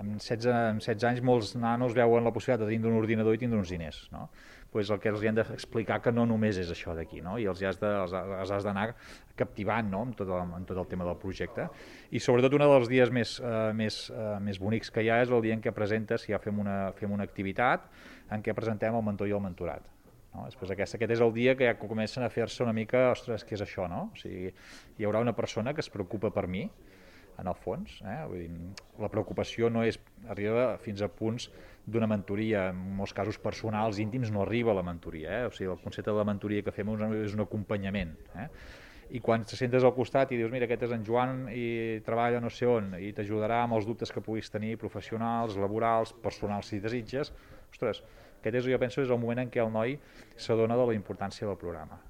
amb 16 anys molts nanos veuen la possibilitat de tindre un ordinador i tindre uns diners, no? Pues el que els han d'explicar que no només és això d'aquí, no? I els has d'anar captivant, no? Amb tot el tema del projecte. I sobretot un dels dies més bonics que hi ha és el dia en què presentes, ja fem una activitat en què presentem el mentor i el mentorat. No? Després aquest és el dia que ja comencen a fer-se una mica, ostres, què és això, no? O sigui, hi haurà una persona que es preocupa per mi, en el fons. Vull dir, la preocupació no arriba fins a punts d'una mentoria, en molts casos personals, íntims, no arriba a la mentoria. O sigui, el concepte de la mentoria que fem és un acompanyament. I quan te sentes al costat i dius, mira, aquest és en Joan i treballa no sé on, i t'ajudarà amb els dubtes que puguis tenir professionals, laborals, personals, si desitges, ostres, aquest jo penso és el moment en què el noi s'adona de la importància del programa.